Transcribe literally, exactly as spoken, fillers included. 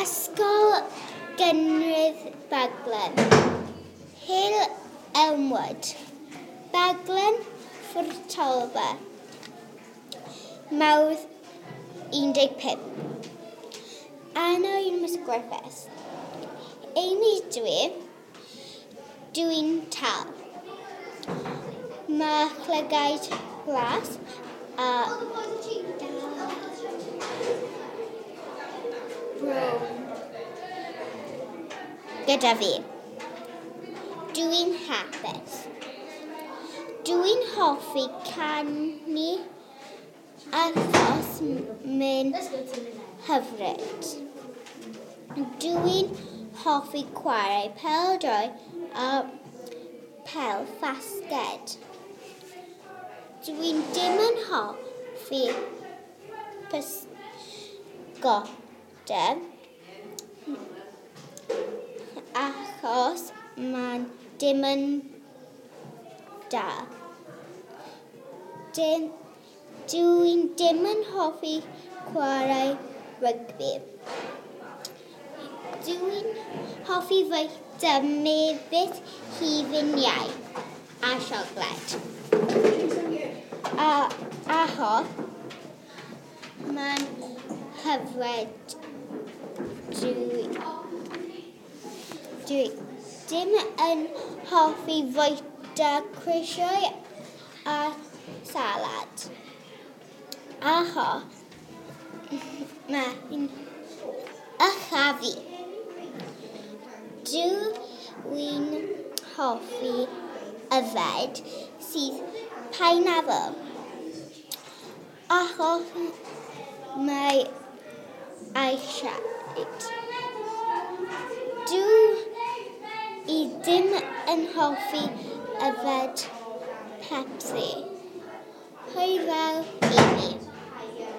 Ysgol Gynradd Baglan. Hill Elmwood. Baglan Ffwrtolfa. Mawrth un deg pump. Anna yw Miss Griffiths. Amy dwi. Dwi'n tal. Mae llygaid glas a brown gyda fi. Dwi'n hapus. Dwi'n hoffi canu achos mae'n hyfryd. Dwi'n hoffi chwarae pêl-droed a pêl-fasged. Dwi'n dim yn hoffi pysgota achos mae'n dim yn da. Dim, dwi'n dim yn hoffi chwarae rygbi. Dwi'n hoffi fwyta mefus hufen iau a siocled. A achos mae'n hyfryd. Dwi, dwi dim yn hoffi fwyta crisiau a salad. Achos mae'n ychafu. Dwi'n hoffi yfed sydd pineapple. Achos mae eisiau. Dwi i ddim yn hoffi yfed Pepsi. Hwyl fawr, Amy.